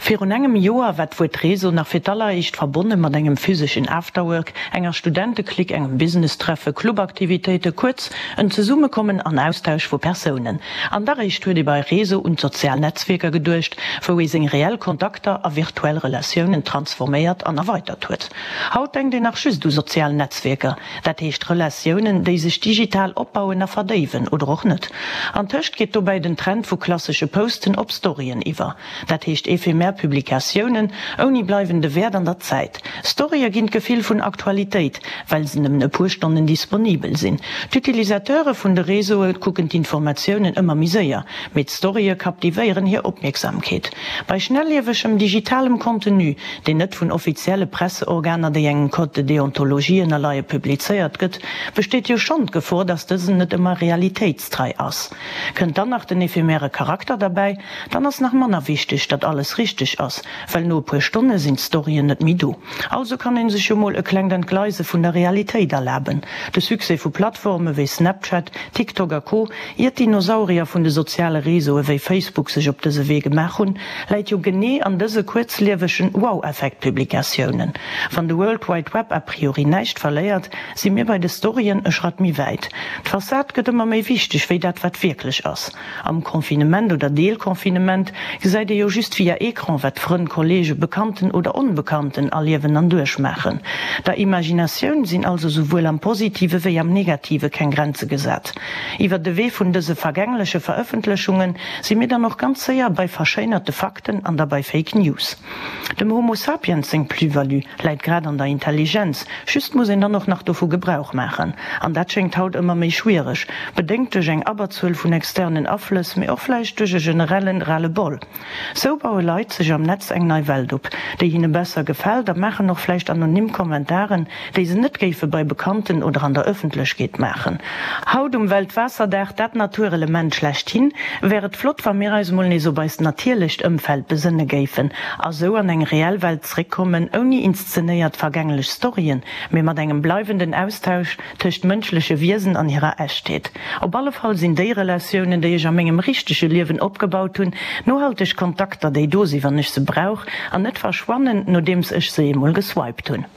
Virun engem Joer war d'Wuert Réseau nach fir d'alleréischt verbonne mat engem physeschen Afterwork, enger Studenteklick, engem Businesstreffe, Clubaktivitéite, kuerz en Zesummekommen an Austausch vu Persounen. An da réischt huet ee bei Réseau un d'sozial Netzwierker geduecht, wou ee seng reell Kontakter a virtuell Relatiounen transforméiert an erweitert huet. Haut denkt een nach just u sozial Netzwierker, dat heescht Relatiounen, déi sech digital opbauen a verdéiwen, oder och net. Antëscht geet dobäi den Trend vu klassesche Posten op Storyen iwwer. Dat heescht ephemer Publikatiounen ouni bleiwende Wäert an der Zäit. Storye ginn d'Gefill vun Aktualitéit, well se nëmmen e puer Stonnen disponibel sinn. D'Utilisateure vun de Réseaue kucken d'Informatiounen ëmmer méi séier, mee d'Storye captivéieren hir Opmierksamkeet. Bei schnelliewegem digitalem Contenu, deen net vun offizielle Presseorganer, déi engem Code de déontologie ënnerleie, publizéiert gëtt, besteet jo schonn d'Gefor, datt dësen net ëmmer realitéitstrei ass. Kënnt dann nach den ephemere Charakter derbäi, dann ass nach manner wichteg, datt alles richteg ass, well no e puer Stonne sinn d'Storyen net méi do. Also kann een sech jo mol e klengt Entgleise vun der Realitéit erlaben. De Succès vu Plattforme wéi Snapchat, TikTok a Co, ier d'Dinosaurier vun de soziale Réseaue wéi Facebook sech op dëse Wee gemaach hunn, läit jo genee an dëse kuerzliewegen Wow-Effekt-Publikatiounen. Wann de World Wide Web a priori näischt verléiert, si mir bei de Storyen e Schratt méi wäit. D'Fassad gëtt ëmmer méi wichteg wéi dat wat wierklech ass. Am Confinement oder Deelconfinement gesäit ee jo just via Ecran wat Frënn, Kollege, Bekannten oder Onbekannten erliewen an duerchmaachen. Der Imaginatioun sinn also souwuel am Positive wéi am Negative keng Grenze gesat. Iwwer de Wee vun dëse vergängleche Verëffentlechunge si mir dann och ganz séier bei verschéinerte Fakten an da bei Fake News. Dem Homo sapiens seng Plus-value läit grad an der Intelligenz, just muss een dann och nach dovu Gebrauch maachen. An dat schéngt haut ëmmer méi schwiereg, bedéngt duerch eng Abberzuel vun externen Aflëss, mee och vläicht duerch e generellen Ras-le-bol. Sou baue Leit sech am Netz eng nei Welt op, déi hinne besser gefält a maachen och vläicht anonym Kommentaren, déi se net géife bei Bekannten oder an der Ëffentlechkeet maachen. Haut um Weltwaasserdag, dat Naturelement schlechthin, wär et flott, wa mir eis mol nees op eist natierlecht Ëmfeld besënne géifen a sou an eng reell Welt zréckkommen, ouni inszenéiert vergänglech Storyen, mee mat engem bleiwenden Austausch tëscht mënschleche Wiesen an hirer Echtheet. Op alle Fall sinn déi Relatiounen, déi ech a mengem richtege Liewen opgebaut hunn, nohalteg Kontakter, déi do sinn, wann ech se brauch, an net verschwannen, nodeems ech se eemol geswiped hunn.